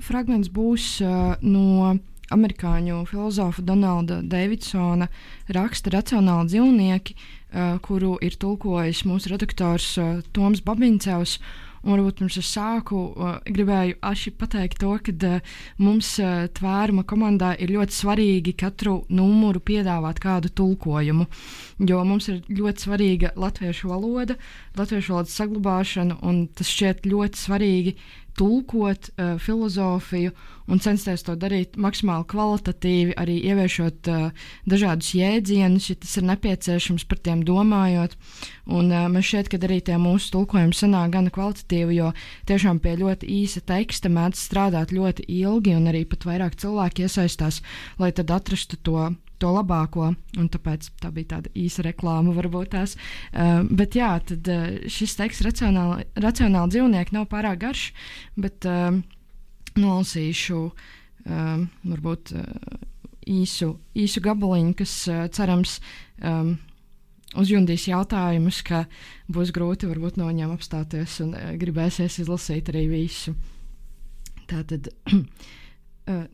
Fragments būs uh, no amerikāņu filozofa Donalda Davidsona raksta Racionāli dzīvnieki, uh, kuru ir tulkojis mūsu redaktors uh, Toms Babiņcevs. Un varbūt pirms es sāku, uh, gribēju aši pateikt to, ka uh, mums uh, tvēruma komandā ir ļoti svarīgi katru numuru piedāvāt kādu tulkojumu, jo mums ir ļoti svarīga latviešu valoda, latviešu valodas saglabāšana, un tas šķiet ļoti svarīgi tulkot uh, filozofiju un censties to darīt maksimāli kvalitatīvi, arī ieviešot uh, dažādus jēdzienus, ja tas ir nepieciešams, par tiem domājot. Un uh, man šķiet, ka arī tie mūsu tulkojumi sanāk gana kvalitatīvi, jo tiešām pie ļoti īsa teksta mēdz strādāt ļoti ilgi, un arī pat vairāk cilvēki iesaistās, lai tad atrastu to to labāko, un tāpēc tā bija tāda īsa reklāma varbūt tās. Uh, bet jā, tad uh, šis teksts racionāli, racionāli dzīvnieki nav pārāk garš, bet uh, nolasīšu uh, varbūt uh, īsu, īsu gabaliņu, kas uh, cerams um, uzjundīs jautājumus, ka būs grūti varbūt no viņiem apstāties un uh, gribēsies izlasīt arī visu. Tātad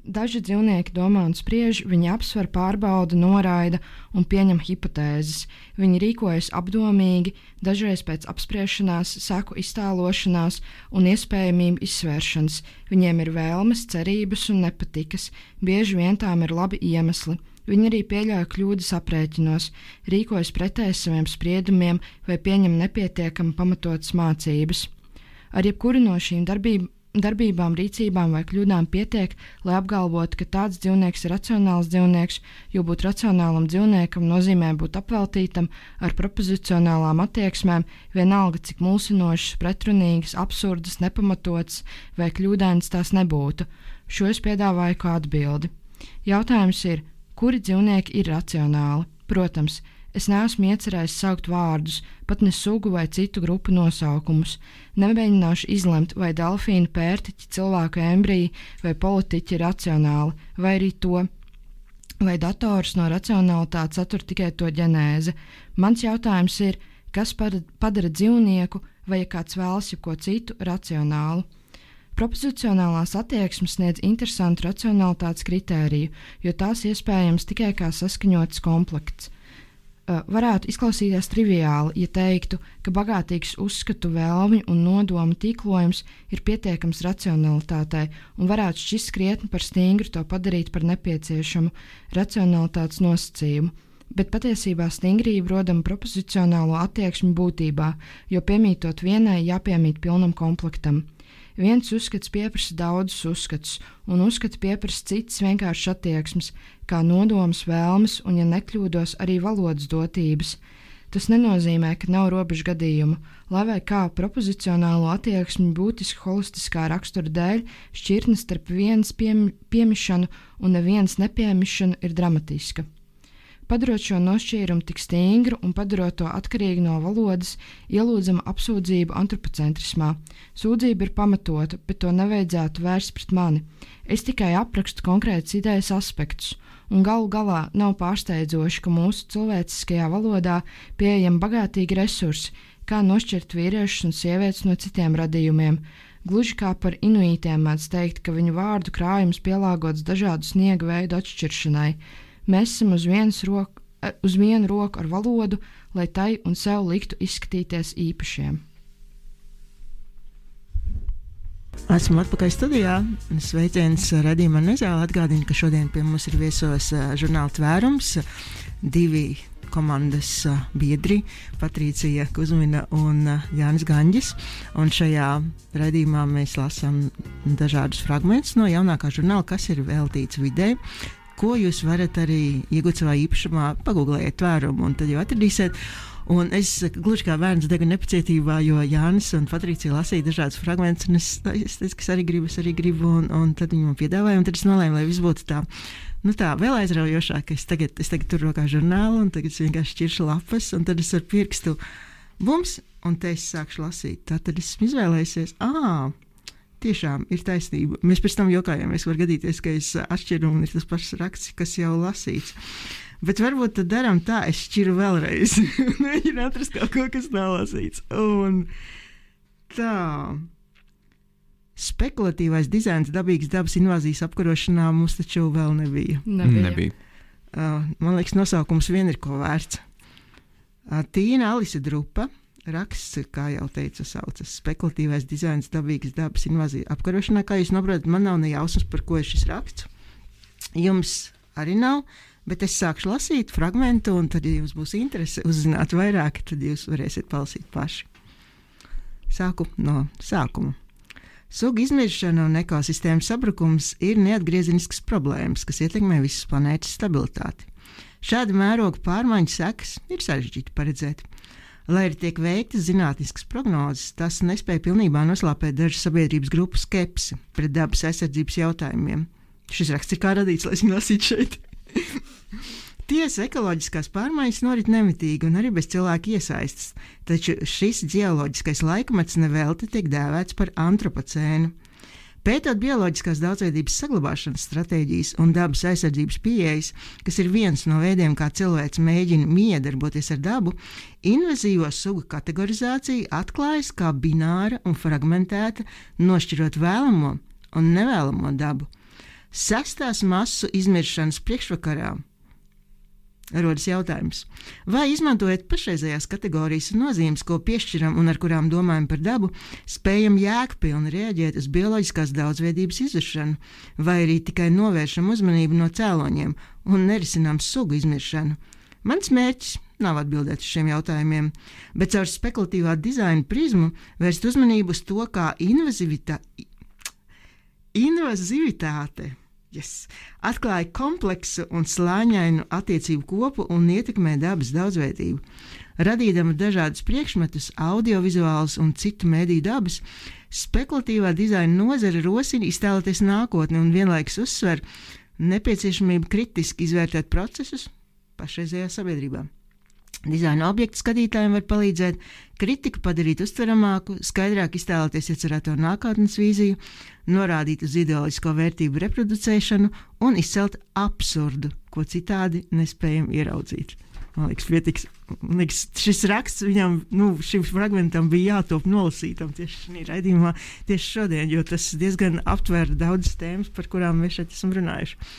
daži dzīvnieki domā un spriež, viņi apsver, pārbauda, noraida un pieņem hipotēzes. Viņi rīkojas apdomīgi, dažreiz pēc apspriešanās, seku iztēlošanās un iespējamību izsvēršanas. Viņiem ir vēlmes, cerības un nepatikas, bieži vien tām ir labi iemesli. Viņi arī pieļauj kļūdas aprēķinos, rīkojas pretēji saviem spriedumiem vai pieņem nepietiekami pamatotas mācības. Ar jebkuru no šīm darbībām Darbībām, rīcībām vai kļūdām pietiek, lai apgalvotu, ka tāds dzīvnieks ir racionāls dzīvnieks, jo būt racionālam dzīvniekam nozīmē būt apveltītam ar propozicionālām attieksmēm, vienalga cik mulsinošas, pretrunīgas, absurdas, nepamatotas vai kļūdainas tās nebūtu. Šo es piedāvāju kā atbildi. Jautājums ir, kuri dzīvnieki ir racionāli? Protams, es neesmu iecerējis saukt vārdus, pat ne sugu vai citu grupu nosaukumus. Nemēģināšu izlemt, vai delfīnu, pērtiķi, cilvēku embriji vai politiķi ir racionāli, vai arī to, vai dators no racionalitātes satur tikai to ģenēzi. Mans jautājums ir, kas padara dzīvnieku vai ja kāds vēlas jau ko citu racionālu. Propozicionālās attieksmes sniedz interesantu racionalitātes kritēriju, jo tās iespējams tikai kā saskaņots komplekts. Varētu izklausīties triviāli, ja teiktu, ka bagātīgs uzskatu, vēlmi un nodomu tīklojums ir pietiekams racionalitātei un varētu šķist krietni par stingru to padarīt par nepieciešamu racionalitātes nosacījumu. Bet patiesībā stingrība rodama propozicionālo attieksmi būtībā, jo piemītot vienai jāpiemīt pilnam komplektam. Viens uzskats pieprasa daudzus uzskatus, un uzskats pieprasa citas vienkāršas attieksmes, kā nodoms, vēlmes un, ja nekļūdos, arī valodas dotības. Tas nenozīmē, ka nav robežu gadījumu, lai vai kā propozicionālo attieksmi būtiski holistiskā rakstura dēļ šķirtne starp vienas piem piemišanu un nevienas nepiemišanu ir dramatiska. Padarot šo nošķīrumu tik stingru un padarot to atkarīgu no valodas, ielūdzama apsūdzību antropocentrismā. Sūdzība ir pamatota, bet to nevajadzētu vērst pret mani. Es tikai aprakstu konkrētas idejas aspektus, un galu galā nav pārsteidzoši, ka mūsu cilvēciskajā valodā pieejami bagātīgi resursi, kā nošķirt vīriešus un sievietes no citiem radījumiem. Gluži kā par inuītiem mēdz teikt, ka viņu vārdu krājums pielāgots dažādu sniega veidu atšķiršanai. Mēs esam uz, roku, uz vienu roku ar valodu, lai tai un sev liktu izskatīties īpašiem. Esmu atpakaļ studijā. Sveiciens raidījumā Nezāle. Atgādinu, ka šodien pie mums ir viesos žurnāla Tvērums. Divi komandas uh, biedri Patricija Kuzmina un uh, Jānis Gaņģis. Un šajā raidījumā mēs lasām dažādus fragmentus no jaunākā žurnāla, kas ir veltīts videi, ko jūs varat arī iegūt savā īpašumā, pagūglējiet tvērumu un tad jau atradīsiet. Un es gluži kā bērns degu nepacietībā, jo Jānis un Patricija lasīja dažādus fragmentus, un es, es teicu, ka es arī gribu, es arī gribu, un, un tad viņi man piedāvāja, un tad es nolēmu, lai viss būtu tā, nu tā, vēl aizraujošāk, ka es tagad, es tagad tur rokā žurnālu, un tagad es vienkārši šķiršu lapas, un tad es ar pirkstu bums, un te es sākšu lasīt. Tad es izvēlējusies, ā, tiešām ir taisnība. Mēs pēc tam jokājāmies, var gadīties, ka es atšķiru, un ir tas pašs raksts, kas jau lasīts. Bet varbūt tad darām tā, es šķiru vēlreiz. Mēģinu atrast kaut ko, kas nav lasīts. Un tā. Spekulatīvais dizains dabīgas dabas invāzijas apkarošanā mums taču vēl nebija. Nebija. Nebija. Uh, man liekas, nosaukums vien ir ko vērts. Uh, Tīna Alise Drupa raksts, kā jau teicu, saucas spekulatīvais dizains dabīgas dabas invāzija apkarošanā. Kā jūs saprotat, man nav ne jausmas, par ko ir šis raksts. Jums arī nav. Bet es sākšu lasīt fragmentu, un tad, ja jums būs interese uzzināt vairāk, tad jūs varēsiet palasīt paši. Sāku no sākuma. Sugu izmiršana un ekosistēmas sabrukums ir neatgriezeniskas problēmas, kas ietekmē visas planētas stabilitāti. Šāda mēroga pārmaiņu sekas ir sarežģīti paredzēt. Lai arī tiek veiktas zinātniskas prognozes, tas nespēja pilnībā noslāpēt dažu sabiedrības grupu skepsi pret dabas aizsardzības jautājumiem. Šis raksts ir kā radīts, lai es viņu lasītu šeit. Tiesa, ekoloģiskās pārmaiņas norit nemitīgi un arī bez cilvēku iesaistas, taču šis ģeoloģiskais laikmets nevelti tiek dēvēts par antropocēnu. Pētot bioloģiskās daudzveidības saglabāšanas stratēģijas un dabas aizsardzības pieejas, kas ir viens no veidiem, kā cilvēks mēģina miedarboties ar dabu, invazīvo sugu kategorizācija atklājas kā bināra un fragmentēta, nošķirot vēlamo un nevēlamo dabu. Sestās masu izmiršanas priekšvakarā rodas jautājums, vai izmantojot pašreizējās kategorijas un nozīmes, ko piešķiram un ar kurām domājam par dabu, spējam jēgpilni reaģēt uz bioloģiskās daudzveidības izušanu, vai arī tikai novēršam uzmanību no cēloņiem un nerisinām sugu izmiršanu. Mans mērķis nav atbildēt uz šiem jautājumiem, bet caur spekulatīvā dizaina prizmu vērst uzmanību uz to, kā invazivitāte Invazivitāte yes, atklāja kompleksu un slāņainu attiecību kopu un ietekmē dabas daudzveidību. Radīdama dažādus priekšmetus, audiovizuālus un citu mediju dabas, spekulatīvā dizaina nozare rosina iztēloties nākotni un vienlaikus uzsver nepieciešamību kritiski izvērtēt procesus pašreizējā sabiedrībā. Dizaina objektu skatītājiem var palīdzēt kritiku padarīt uztveramāku, skaidrāk iztēloties iecerēto nākotnes vīziju, norādīt uz ideoloģisko vērtību reproducēšanu un izcelt absurdu, ko citādi nespējam ieraudzīt. Man liekas, pietiks, man liekas, šis raksts viņam, nu, šim fragmentam bija jātop nolasītam tieši šī raidījumā, tieši šodien, jo tas diezgan aptver daudzas tēmas, par kurām mēs šeit esam runājuši.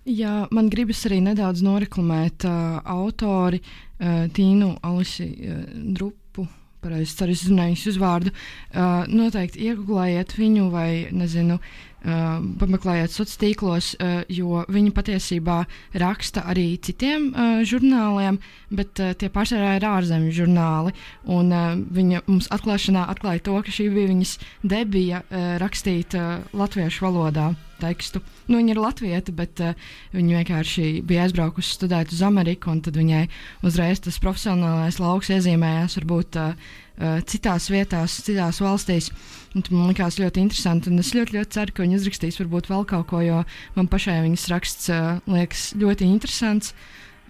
Jā, man gribas arī nedaudz noreklamēt uh, autori uh, Tīnu Alisi uh, Drupu, pareizi ceru izrunāju viņas uzvārdu. Uh, noteikti iegūlējiet viņu vai, nezinu, uh, pameklējiet sociālos tīklos, uh, jo viņa patiesībā raksta arī citiem uh, žurnāliem, bet uh, tie pārsvarā ir ārzemju žurnāli. Un uh, viņa mums atklāšanā atklāja to, ka šī bija viņas debija uh, rakstīt uh, latviešu valodā tekstu. Nu, viņa ir latvieta, bet uh, viņa vienkārši bija aizbraukusi studēt uz Ameriku, un tad viņai uzreiz tas profesionālais lauks iezīmējās varbūt uh, uh, citās vietās, citās valstīs. Un man likās ļoti interesanti, un es ļoti, ļoti ceru, ka viņa uzrakstīs varbūt vēl kaut ko, jo man pašai viņas raksts uh, liekas ļoti interesants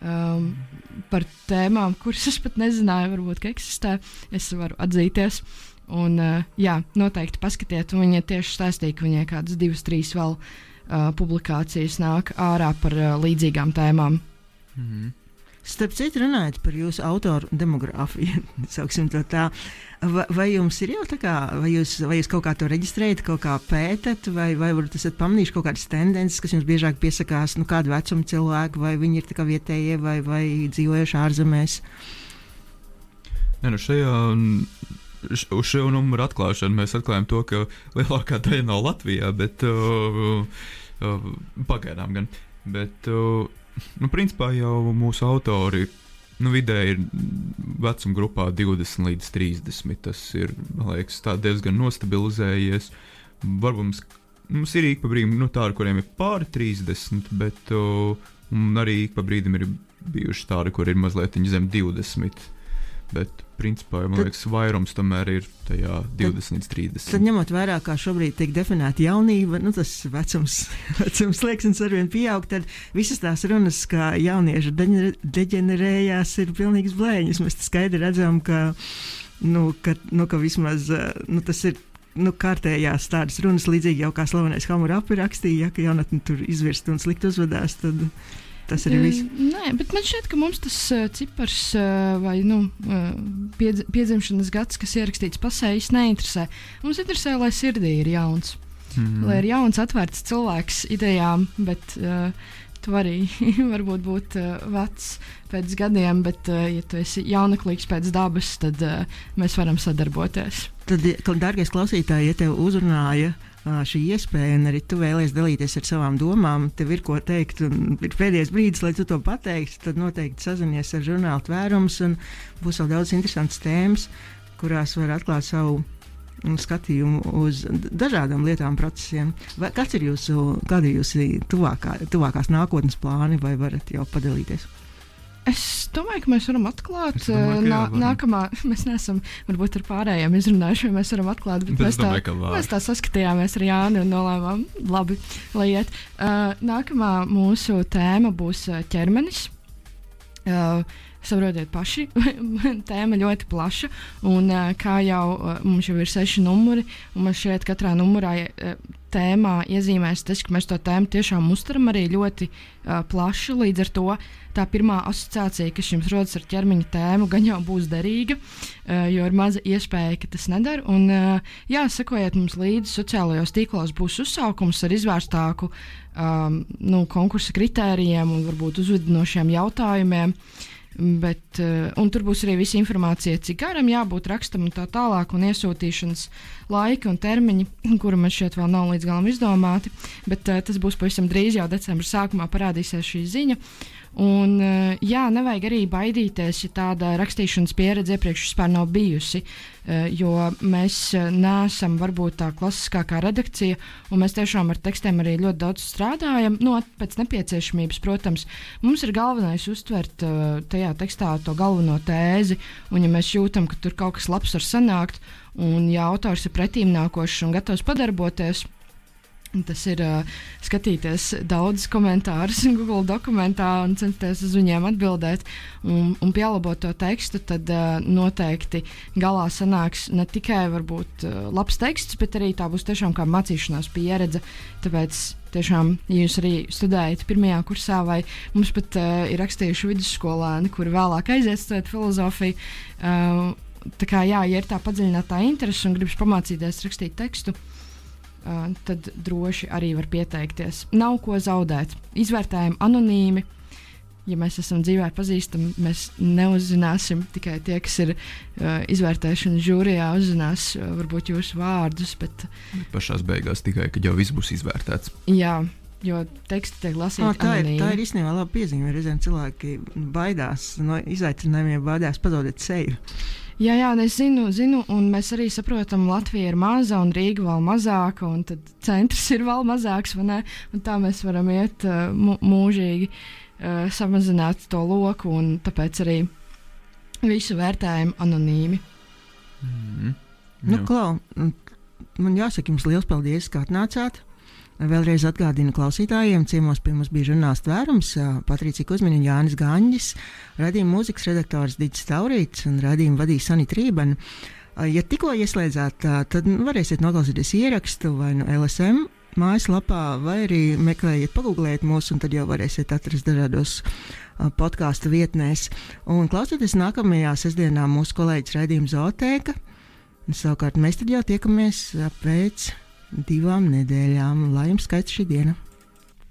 um, par tēmām, kuras es pat nezināju, varbūt, ka eksistē. Es varu atzīties. Un, uh, jā, noteikti paskatiet, un viņa tieši stāstīja, ka viņai kādas divas, trīs vēl uh, publikācijas nāk ārā par uh, līdzīgām tēmām. Mhm. Starp citu, runājot par jūsu autoru demogrāfiju, sauksim to tā, vai, vai jums ir jau tā kā, vai jūs, vai jūs kaut kā to reģistrējat, kaut kā pētat, vai, vai varbūt esat pamanījuši kaut kādas tendences, kas jums biežāk piesakās, nu kādu vecumu cilvēku, vai viņi ir tā kā vietējie, vai, vai dzīvojuši ārzemēs? Ne, nu šajā... Uz šo numuru atklāšanu mēs atklājam to, ka lielākā daļa nav Latvijā, bet uh, uh, pagaidām gan. Bet, uh, nu, principā jau mūsu autori nu, vidēji ir vecuma grupā divdesmit līdz trīsdesmit. Tas ir, man liekas, tā diezgan nostabilizējies. Varbūt mums, mums ir ik pa brīdim nu, tādi, kuriem ir pāri trīsdesmit, bet uh, arī ik pa brīdim ir bijuši tādi, kur ir mazliet zem divdesmit. Bet, principā, man tad, liekas, vairums tomēr ir tajā divdesmit līdz trīsdesmit. Tad, ņemot vērā, kā šobrīd tiek definēta jaunība, nu, tas vecums, vecums slieksnis arvien pieaug, tad visas tās runas, kā jaunieši deģenerējās, ir pilnīgs blēņas. Mēs skaidri redzam, ka, nu, ka, nu, ka vismaz nu, tas ir nu, kārtējās tādas runas, līdzīgi jau kā slavenais Hammurapi rakstīja, ja, ka jaunatni tur izvirst un slikt uzvedās, tad tas arī viss. Uh, nē, bet man šķiet, ka mums tas uh, cipars uh, vai nu, uh, piedz, piedzimšanas gads, kas ierakstīts pasē, īsti neinteresē. Mums interesē, lai sirdī ir jauns. Mm. Lai ir jauns, atvērts cilvēks idejām, bet uh, tu arī varbūt būt uh, vecs pēc gadiem, bet uh, ja tu esi jaunaklīgs pēc dabas, tad uh, mēs varam sadarboties. Tad, dārgais klausītāji, ja tev uzrunāja šī iespēja, un arī tu vēlies dalīties ar savām domām, tev ir ko teikt, un ir pēdējais brīdis, lai tu to pateiksi, tad noteikti sazinies ar žurnālu Tvērums, un būs vēl daudz interesantas tēmas, kurās var atklāt savu skatījumu uz dažādām lietām, procesiem. Vai, kāds ir jūsu, kāda ir jūsu tuvākā, tuvākās nākotnes plāni, vai varat jau padalīties? Es domāju, ka mēs varam atklāt. Domāju, nā, jā, nākamā, mēs neesam varbūt ar pārējiem izrunājuši, vai mēs varam atklāt, bet, bet mēs, domāju, tā, mēs tā saskatījāmies ar Jāni un nolēmām, labi, lai iet. Uh, nākamā mūsu tēma būs ķermenis. Uh, Saprotiet paši, tēma ļoti plaša, un uh, kā jau uh, mums jau ir seši numuri, un man šeit katrā numurā uh, tēmā iezīmēs tas, ka mēs to tēmu tiešām uztveram arī ļoti uh, plaši, līdz ar to tā pirmā asociācija, kas jums rodas ar ķermeņa tēmu, gan jau būs derīga, uh, jo ir maza iespēja, ka tas nedara, un uh, jā, sekojiet mums līdzi, sociālajos tīklos būs uzsaukums ar izvērstāku um, nu, konkursa kritērijiem un varbūt uzvedinošiem jautājumiem. Bet, uh, un tur būs arī visa informācija, cik garam jābūt rakstam un tā tālāk, un iesūtīšanas laika un termiņi, kuri man šķiet vēl nav līdz galam izdomāti, bet uh, tas būs pavisam drīz, jau decembra sākumā parādīsies šī ziņa. Un, uh, jā, nevajag arī baidīties, ja tāda rakstīšanas pieredze iepriekš vispār nav bijusi, uh, jo mēs uh, neesam varbūt tā klasiskākā redakcija, un mēs tiešām ar tekstiem arī ļoti daudz strādājam, no pēc nepieciešamības, protams. Mums ir galvenais uztvert uh, tajā tekstā to galveno tēzi, un ja mēs jūtam, ka tur kaut kas labs var sanākt, un ja autors ir pretīmnākošs un gatavs padarboties, tas ir uh, skatīties daudz komentārus Google dokumentā un censties uz viņiem atbildēt un, un pielabot to tekstu, tad uh, noteikti galā sanāks ne tikai varbūt uh, labs teksts, bet arī tā būs tiešām kā mācīšanās pieredze. Tāpēc tiešām, ja jūs arī studējat pirmajā kursā, vai mums pat uh, ir rakstījuši vidusskolēni, kuri vēlāk aiziet studēt filozofiju, uh, tā kā jā, ja ir tā padziļinātā interese un gribas pamācīties rakstīt tekstu, Uh, tad droši arī var pieteikties. Nav ko zaudēt. Izvērtējam anonīmi. Ja mēs esam dzīvē pazīstami, mēs neuzzināsim tikai tie, kas ir uh, izvērtēšanas žūrijā, uzzinās uh, varbūt jūsu vārdus, bet pašās beigās tikai, kad jau viss būs izvērtēts. Jā, jo teksti tiek lasīti oh, tā anonīmi. Ir, tā ir īstenībā laba piezīme. Reizēm cilvēki baidās no izaicinājumiem, baidās pazaudēt seju. Jā, jā, es zinu, zinu, un mēs arī saprotam, Latvija ir maza un Rīga vēl mazāka, un tad centrs ir vēl mazāks, vai ne? Un tā mēs varam iet uh, mūžīgi uh, samazināt to loku, un tāpēc arī visu vērtējam anonīmi. Mm-hmm. Nu, Klau, man jāsaka jums liels paldies, ka atnācāt. Vēlreiz atgādinu klausītājiem, ciemos pie mums bija žurnāls Tvērums, Patricija Kuzmiņa un Jānis Gaņģis, raidījuma mūzikas redaktors Diģis Taurīts un raidījumu vadīja Sanita Rībena. Ja tikko ieslēdzāt, tad varēsiet noklausīties ierakstu vai no L S M mājaslapā, vai arī meklējiet, pagūglējiet mūs, un tad jau varēsiet atrast dažādos podkāstu vietnēs. Un klausieties nākamajā sestdienā mūsu kolēģis raidījuma Zootēka. Savukārt mēs tad jau tiekamies pēc divām nedēļām. Lai jums skaists šī diena!